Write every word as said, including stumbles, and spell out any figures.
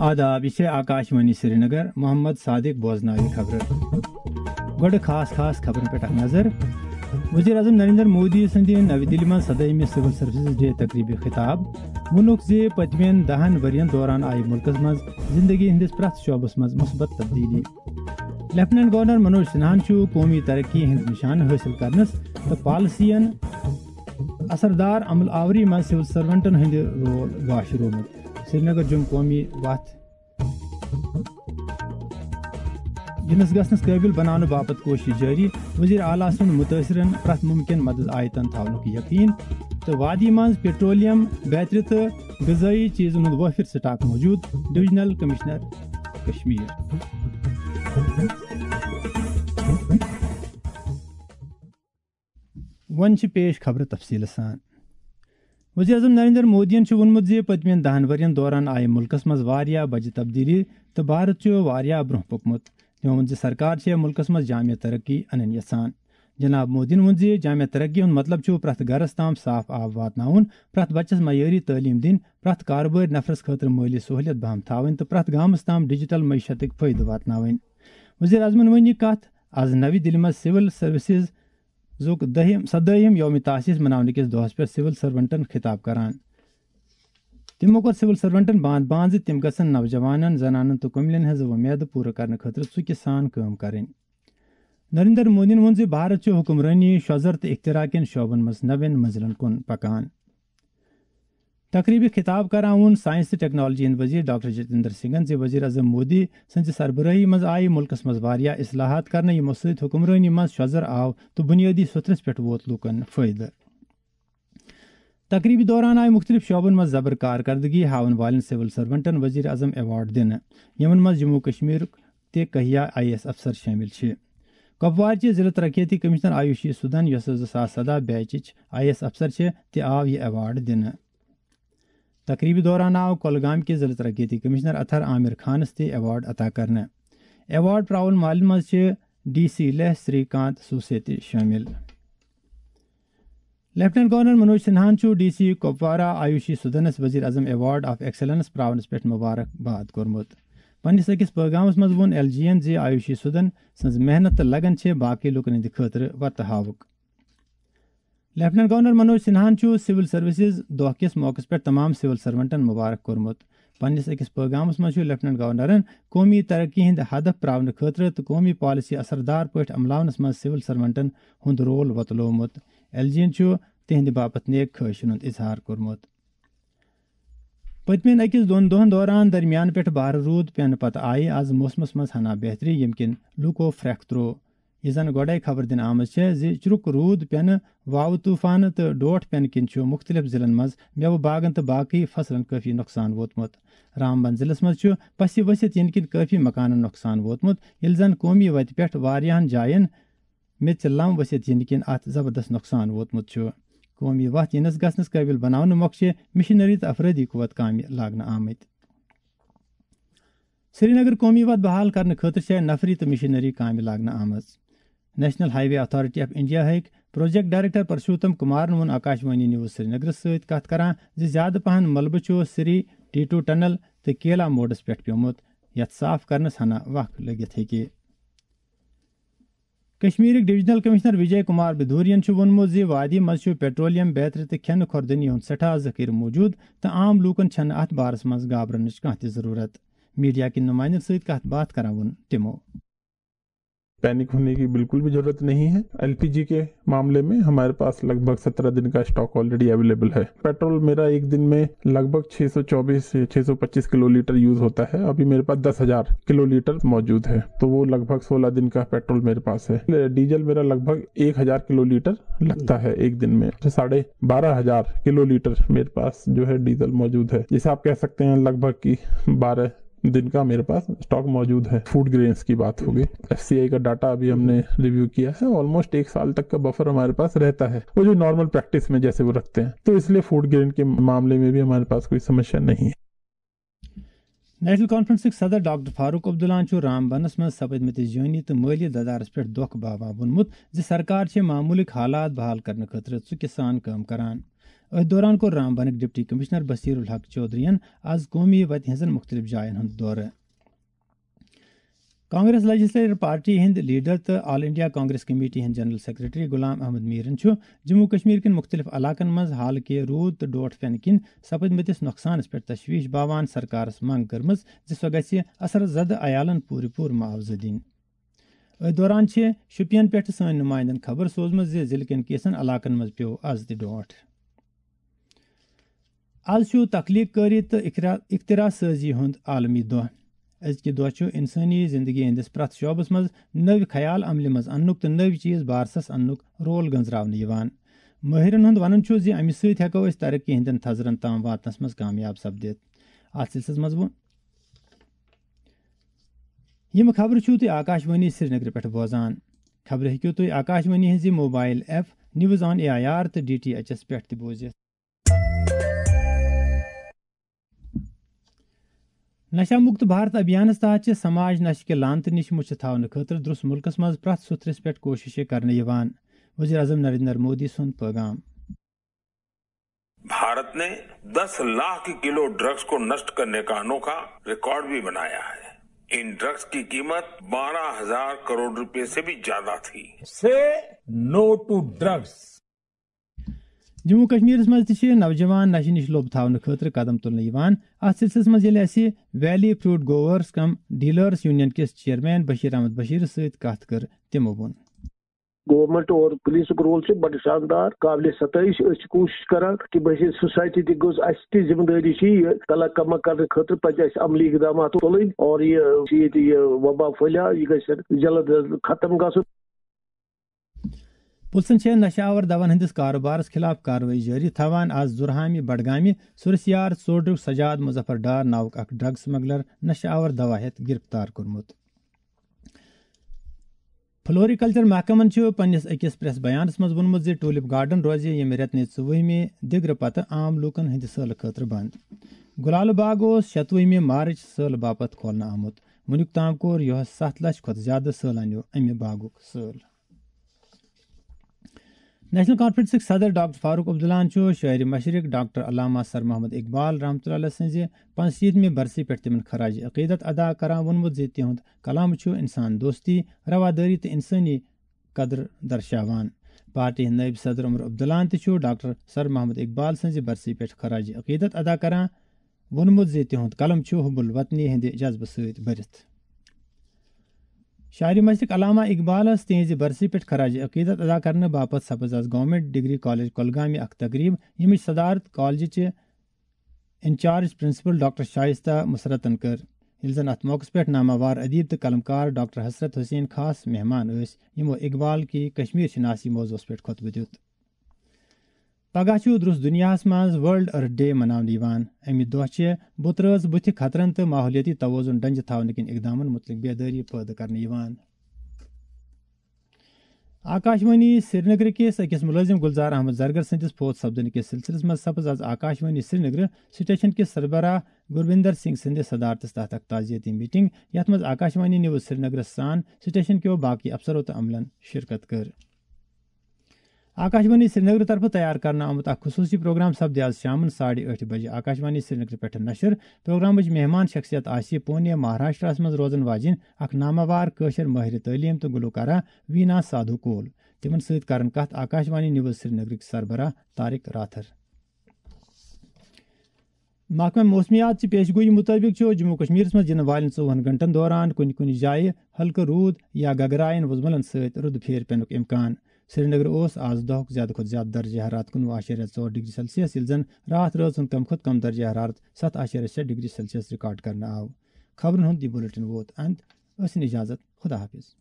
آداب، یہِ چھےٚ آکاشوانی سرینگر، محمد صادق بوزناوِ خبرٕ۔ گۄڈٕ خاص خاص خبرن پٮ۪ٹھ اکھ نظر۔ وزیر اعظم نریندر مودی سٕنٛدِ نَوِ دِلہِ منٛز سدٲہمہِ سول سروسز ڈے تقریبہِ خطاب۔ ووٚنُکھ زِ پٔتمٮ۪ن دَہن ؤرین دوران آیہِ مُلکس منٛز زندگی ہٕنٛدِس پرٛٮ۪تھ شعبس منٛز مثبت تبدیلی۔ لیفٹیننٹ گورنر منوج سنہاہن چھُ قومی ترقی ہٕنٛدۍ نشانہٕ حٲصِل کرنس تہٕ پالیسین اثردار عمل آوری منٛز سول سرونٹن ہٕنٛدِ رول گاشرومُت۔ سرینگر جوٚم قومی وتھ یِنس گژھنس قٲبِل بناونہٕ باپتھ کوٗشش جٲری۔ وزیر اعلیٰ سُنٛد مُتٲثرن پرٛٮ۪تھ مُمکِن مدد آیتن تھاونُک یقین تہٕ وادی منٛز پیٹرولیم، بیترِ تہٕ غذٲیی چیٖزن ہُنٛد وٲفر سٹاک موجود، ڈویژنل کمشنر کشمیر۔ وۄنۍ چھِ پیش خبرٕ تفصیٖلہٕ سان۔ وزیر اعظم نریندر مودیَن چھُ ووٚنمُت زِ پٔتمٮ۪ن دَہن ؤرین دوران آیہِ مُلکَس منٛز واریاہ بجہِ تبدیٖلی تہٕ بھارت چھُ واریاہ برٛونٛہہ پوٚکمُت۔ تٔمۍ ووٚن زِ سرکار چھےٚ مُلکَس منٛز جامع ترقی اَنٕنۍ یژھان۔ جناب مودیَن ووٚن زِ جامع ترقی ہُنٛد مطلب چھُ پرٛٮ۪تھ گرَس تام صاف آب واتناوُن، پرٛٮ۪تھ بچَس معیٲری تعلیٖم دِنۍ، پرٛٮ۪تھ کارٕبٲرۍ نفرَس خٲطرٕ مٲلی سہوٗلیت بہم تھاوٕنۍ تہٕ پرٛٮ۪تھ گامَس تام ڈیجیٹل معیشتٕکۍ فٲیدٕ واتناوٕنۍ۔ وزیر اعظمَن ؤنۍ یہِ کَتھ آز نَوِ دِلہِ منٛز سول سروسز زُک دٔہِم، سدٲہِم یوم تاسیس مناونہٕ کِس دۄہس پٮ۪ٹھ سول سرونٹن خطاب کران۔ تِمو کوٚر سول سرونٹن باند باند زِ تِم گژھن نوجوانن، زنانن تہٕ کُملٮ۪ن ہٕنٛز وۄمید پوٗرٕ کرنہٕ خٲطرٕ ژُکہِ سان کٲم کرٕنۍ۔ نریندر مودیَن ووٚن زِ بھارت چھُ حکمرٲنی، شوٚژر تہٕ اختراع کٮ۪ن شعبن منٛز نوٮ۪ن منزلن کُن پکان۔ تقریبہِ خطاب کران ووٚن سائنس تہٕ ٹیکنالوجی ہٕنٛدۍ وزیر ڈاکٹر جتیندر سنگھن زِ وزیر اعظم مودی سٕنٛزِ سربرٲہی منٛز آیہِ مُلکس منٛز واریاہ اصلاحات کرنہٕ، یِمو سۭتۍ حکمرٲنی منٛز شوٚژر آو تہٕ بُنیٲدی سطحس پٮ۪ٹھ ووت لوٗکن فٲیدٕ۔ تقریبہِ دوران آیہِ مُختٔلِف شعبن منٛز زبر کارکردگی ہاوَن والٮ۪ن سول سرونٹن وزیر اعظم ایوارڈ دِنہٕ، یِمن منٛز جموں کشمیرُک تہِ کہیا آئی اے ایس افسر شٲمِل چھِ۔ کپوارچہِ ضلع ترقیتی کمشنر آیوشی سودھن، یۄسہٕ زٕ ساس سداہ بیچٕچ آئی اے ایس افسر چھِ، تہِ آو یہِ ایوارڈ دِنہٕ۔ تقریبہِ دوران آو کۄلگام کِس ضلع ترقیتی کمشنر اطہر عامر خانس تہِ ایوارڈ عطا کرنہٕ۔ ایوارڈ پراون مالن منٛز چھِ ڈی سی لیہ سری کانت سوسے تہِ شٲمِل۔ لیفٹیننٹ گورنر منوج سنہاہن چھُ ڈی سی کپوارہ آیوشی سودھنس وزیر اعظم ایوارڈ آف ایکسلنس پراونس پٮ۪ٹھ مبارک باد کوٚرمُت۔ پننِس أکِس پٲغامس منٛز ووٚن ایل جی یَن زِ آیوشی سودھن سٕنٛز محنت تہٕ لگن چھِ باقٕے لوٗکن ہٕنٛدِ خٲطرٕ ورتہٕ ہاوُک۔ لیفٹیننٹ گورنر منوج سنہاہن چھُ سول سروسز دۄہ کِس موقعس پٮ۪ٹھ تمام سول سرونٹن مبارک کوٚرمُت۔ پننِس أکِس پٲغامس منٛز چھُ لیفٹیننٹ گورنرن قومی ترقی ہٕنٛدۍ ہدف پراونہٕ خٲطرٕ تہٕ قومی پالیسی اثردار پٲٹھۍ عملاونس منٛز سول سرونٹن ہُنٛد رول وۄتلوومُت۔ ایل جی یَن چھُ تِہنٛدِ باپتھ نیک خواہشن ہُنٛد اظہار کوٚرمُت۔ پٔتمٮ۪ن أکِس دۄن دۄہن دوران درمیان پٮ۪ٹھ بارٕ روٗد پٮ۪نہٕ پتہٕ آیہِ آز موسمس منٛز ہنا بہتری، ییٚمہِ کِنۍ لوٗکو پھرٛکھ ترٛوو۔ یہِ زن گۄڈے خبر دِنہٕ آمٕژ چھےٚ زِ چرُک روٗد پٮ۪نہٕ، واوٕ طوفانہٕ تہٕ ڈوٹھ پٮ۪نہٕ کِنۍ چھُ مُختٔلِف ضلعن منٛز مٮ۪وٕ باغن تہٕ باقٕے فصلن کٲفی نۄقصان ووتمُت۔ رامبن ضلعس منٛز چھُ پسہِ ؤسِتھ یِنہٕ کِنۍ کٲفی مکانن نۄقصان ووتمُت، ییٚلہِ زن قومی وتہِ پٮ۪ٹھ واریاہن جاین میٚژِ لم ؤسِتھ یِنہٕ کِنۍ اتھ زبردست نۄقصان ووتمُت چھُ۔ قومی وتھ یِنس گژھنس قٲبِل بناونہٕ مۄکھٕ چھِ مشینری تہٕ افرٲدی قوت کامہِ لاگنہٕ آمٕتۍ۔ سرینگر قومی وتھ بحال کرنہٕ خٲطرٕ چھےٚ نفری تہٕ مشینری کامہِ لاگنہٕ آمٕژ۔ National high way authority of India ہٕکۍ پروجیکٹ ڈائریکٹر پرشوتم کمارن ووٚن آکاشوانی نیوز سرینگرس سۭتۍ کتھ کران زِ زیادٕ پہن ملبہٕ چھُ سری ٹیٹو ٹنل تہٕ کیلا موڑس پٮ۪ٹھ پیومُت، یتھ صاف کرنس ہنا وق لٔگِتھ ہیٚکہِ۔ کشمیرٕکۍ ڈویژنل کمشنر وجے کمار بدھورین چھُ ووٚنمُت زِ وادی منٛز چھُ پیٹرولیم، بیترِ تہٕ کھٮ۪نہٕ خوردنی ہُنٛد سٮ۪ٹھاہ ذخیرٕ موجود تہٕ عام لوٗکن چھَنہٕ اتھ بارس منٛز گابرنٕچ کانٛہہ تہِ ضروٗرت۔ میڈیا کٮ۪ن نمائندن سۭتۍ کتھ باتھ کران ووٚن تِمو۔ पैनिक होने की बिल्कुल भी जरूरत नहीं है। एलपीजी के मामले में हमारे पास लगभग सत्रह दिन का स्टॉक ऑलरेडी अवेलेबल है। पेट्रोल मेरा एक दिन में लगभग छह सौ चौबीस से छह सौ पच्चीस किलो लीटर यूज होता है। अभी मेरे पास दस हजार किलो लीटर मौजूद है, तो वो लगभग सोलह दिन का पेट्रोल मेरे पास है। डीजल मेरा लगभग एक हजार किलो लीटर लगता है एक दिन में, तो साढ़े बारह हजार किलो लीटर मेरे पास जो है डीजल मौजूद है। जैसे आप कह सकते हैं लगभग कि बारह दिन का मेरे पास स्टॉक मौजूद है। फूड ग्रेन्स की बात हो गई, एफसीआई का डाटा अभी हमने रिव्यू किया है, ऑलमोस्ट एक साल तक का बफर हमारे पास रहता है, वो जो नॉर्मल प्रैक्टिस में जैसे वो रखते हैं। तो इसलिए फूड ग्रेन के मामले में भी हमारे पास कोई समस्या नहीं है। نیشنل کانفرنسٕکۍ صدر ڈاکٹر فاروق عبداللہن چھُ رامبنس منٛز سپدمٕتِس جٲنی تہٕ مٲلی ددارس پٮ۪ٹھ دۄکھ باوان ووٚنمُت زِ سرکار چھِ معموٗلٕکۍ حالات بحال کرنہٕ خٲطرٕ ژُکہِ سان کٲم کران۔ أتھۍ دوران کوٚر رامبنٕکۍ ڈپٹی کمشنر بصیر الحق چودھرین آز قومی وتہِ ہٕنٛزن مُختٔلِف جاین ہُنٛد دورٕ۔ کانگریس لیجسلیچر پارٹی ہٕنٛدۍ لیڈر تہٕ آل انڈیا کانگریس کمیٹی ہٕنٛدۍ جنرل سیکرٹری غلام احمد میرن چھُ جموں کشمیر کٮ۪ن مُختٔلِف علاقن منٛز حالکہِ روٗد تہٕ ڈوٹھ پٮ۪نہٕ کِنۍ سپدمٕتِس نۄقصانس پٮ۪ٹھ تشویش باوان سرکارس منٛگ کٔرمٕژ زِ سۄ گژھِ اثر زدٕ عیالن پوٗرٕ پوٗرٕ معاوضہٕ دِنۍ۔ أتھۍ دوران چھِ شوپین پٮ۪ٹھٕ سٲنۍ نُمایندن خبر سوزمٕژ زِ ضلعہٕ کٮ۪ن کینٛژن علاقن منٛز پیوٚو از تہِ ڈوٹھ۔ از چھُ تخلیق کٲری تہٕ اختراع، اختراع سٲزی ہُنٛد عالمی دۄہ۔ أزکہِ دۄہ چھُ انسٲنی زندگی ہٕنٛدِس پرٛٮ۪تھ شعبس منٛز نٔوۍ خیال عملہِ منٛز اننُک تہٕ نٔوۍ چیز بارسس اننُک رول گنزراونہٕ یِوان۔ مٲہرن ہُنٛد ونُن چھُ زِ امہِ سۭتۍ ہٮ۪کو أسۍ ترقی ہٕنٛدٮ۪ن تھزرن تام واتنس منٛز کامیاب سپدِتھ۔ اتھ سلسلس منٛز ووٚن یِم خبرٕ چھِو تُہۍ آکاشوانی سرینگرٕ پٮ۪ٹھ بوزان۔ خبرٕ ہیٚکِو تُہۍ آکاشوانی ہٕنٛزِ mobile app news on A I R تہٕ ڈی ٹی ایچ ایس پٮ۪ٹھ تہِ بوٗزِتھ۔ نشہ مکت بھارت ابھیانس تحت چھِ سماج نشہٕ کہِ لعنتہٕ نِش مُچھِ تھاونہٕ خٲطرٕ درٛس مُلکس منٛز پرٛٮ۪تھ سُتھرِس پٮ۪ٹھ کوٗششہٕ کرنہٕ یِوان۔ وزیر اعظم نریندر مودی سُنٛد پیغام۔ भारत ने दस लाख किलो ड्रग्स को नष्ट करने का अनोखा रिकॉर्ड भी बनाया है। इन ड्रग्स की कीमत बारह हजार करोड़ रुपए से भी ज्यादा थी। Say no to drugs. Jammu کشمیرس منٛز تہِ چھِ نوجوان نشہٕ نِش لوٚب تھاونہٕ خٲطرٕ قدم تُلنہٕ یِوان۔ اتھ سلسلس منٛز ییٚلہِ اسہِ ویلی فروٹ گروورس کم ڈیلرس یونین کِس چیئرمین بشیر احمد بشیرس سۭتۍ کتھ کٔر، تِمو ووٚن۔ گورنمنٹ اور پولیسُک رول چھُ بڑٕ شاندار، قابلِ ستٲیِش۔ أسۍ چھِ کوٗشِش کران کہِ بحیثیت سوسایٹی تہِ گوٚژھ، اَسہِ تہِ ذمہٕ دٲری چھِ یہِ کلہٕ کمہٕ کرنہٕ خٲطرٕ پزِ اَسہِ عملی اقدامات تُلٕنۍ اور یہِ چھِ ییٚتہِ یہِ وبا پھٔہلیو، یہِ گژھِ جلد از جلد ختم گژھُن۔ پُلسن چھےٚ نشہٕ آور دون ہٕنٛدِس کارٕبارس خلاف کاروٲیی جٲری تھاوان آز زُرہامہِ بڈگامہِ سُرسیار ژوڈرُک سجاد مظفر ڈار ناوُک اکھ ڈرگ سمگلر نشہٕ آور دوا ہٮ۪تھ گرفتار کوٚرمُت۔ فلوریکلچر محکمن چھُ پننِس أکِس پریس بیانس منٛز ووٚنمُت زِ ٹولپ گارڈن روزِ ییٚمہِ رٮ۪تہٕ نہِ ژوٚوُہمہِ دِگرٕ پتہٕ عام لوٗکن ہٕنٛدِ سٲلہٕ خٲطرٕ بنٛد۔ گُلالہٕ باغ اوس شتوُہمہِ مارچ سٲلہٕ باپتھ کھولنہٕ آمُت۔ وُنیُک تام کوٚر یُہس ستھ لچھ کھۄتہٕ زیادٕ سٲلانیو امہِ باغُک سٲل۔ نیشنل کانفرنسٕکۍ صدر ڈاکٹر فاروق عبداللہن چھُ شٲعرِ مشرق ڈاکٹر علامہ سر محمد اقبال رحمتہ اللہ سٕنٛزِ پانٛژشیٖتمہِ برسی پٮ۪ٹھ تِمن خراج عقیدت ادا کران ووٚنمُت زِ تِہُنٛد کلام چھُ انسان دوستی، روادٲری تہٕ انسٲنی قدر درشاوان۔ پارٹی ہٕنٛدۍ نٲیِب صدر عمر عبداللہن تہِ چھُ ڈاکٹر سر محمد اقبال سٕنٛزِ برسی پٮ۪ٹھ خراج عقیدت ادا کران ووٚنمُت زِ تِہُنٛد قلم چھُ حب الوطنی ہٕنٛدِ جذبہٕ سۭتۍ بٔرِتھ۔ شاعرِ مشرق علامہ اقبالس تِہنٛزِ برسی پٮ۪ٹھ خراج عقیدت ادا کرنہٕ باپتھ سپٕز از گورنمنٹ ڈگری کالج کۄلگامہِ اکھ تقریب، ییٚمِچ صدارت کالجہِ چہِ انچارج پرنسپل ڈاکٹر شائستہ مسرتن کٔر، ییٚلہِ زن اتھ موقعس پٮ۪ٹھ ناماوار ادیب تہٕ قلمکار ڈاکٹر حسرت حسین خاص مہمان ٲسۍ، یِمو اقبال کی کشمیر شناسی موضوعس پٮ۪ٹھ خطبہٕ دیُت۔ پگاہ چھُ درٛس دُنیاہَس منٛز ورلڈ ارتھ ڈے مناونہٕ یِوان۔ اَمہِ دۄہ چھِ بُترٲژ بُتھِ خطرن تہٕ ماحولیٲتی توازن ڈنجہِ تھاونہٕ کِنۍ اقدامن مُتعلق بیدٲری پٲدٕ کرنہٕ یِوان۔ آکاشوانی سرینگر کِس أکِس مُلٲزِم گُلزار احمد زرگر سٕنٛدِس فوت سپدنہٕ کِس سلسلس منٛز سپٕز از آکاشوانی سرینگر سٹیشن کِس سربراہ گرویندر سنگھ سٕنٛدِس صدارتس تحت اکھ تعزیتی میٹنگ، یتھ منٛز آکاشوانی نیوز سرینگرس سان سٹیشن کیو باقی افسرو تہٕ عملن شرکت کٔر۔ آکاشوانی سرینگر طرفہٕ تیار کرنہٕ آمُت اکھ خصوٗصی پروگرام سپدِ آز شامن ساڑِ ٲٹھِ بجہِ آکاشوانی سرینگر پٮ۪ٹھ نشر۔ پروگرامٕچ مہمان شخصیت آسہِ پونے مہاراشٹرس منٛز روزن واجِنۍ اکھ ناماوار کٲشِر مٲہرِ تعلیٖم تہٕ گلوکارہ وینا سادھو کول۔ تِمن سۭتۍ کرن کتھ آکاشوانی نیوز سرینگرٕکۍ سربراہ طارق راتھر۔ محکمہ موسمیات چہِ پیش گویی مُطٲبِق چھُ جموں و کشمیرس منٛز یِنہٕ والٮ۪ن ژوٚوُہن گھنٹن دوران کُنہِ کُنہِ جایہِ ہلکہٕ روٗد یا گگرایَن وُزملن سۭتۍ رُدٕ پھیرِ پینُک امکان۔ سرینگر اوس آز دۄہُک زیادٕ کھۄتہٕ زیادٕ درجہ حرارت کُنوُہ اعشاریہ ژور ڈگری سیلسیس، ییٚلہِ زن راتھ رٲژ ہُنٛد کم کھۄتہٕ کم درجہ حرارت ستھ اعشاریہ شےٚ ڈگری سیلسیس ریکارڈ کرنہٕ آو۔ خبرن ہُنٛد یہِ بلیٹن ووت اند۔ ٲسِن اجازت۔ خدا حافظ۔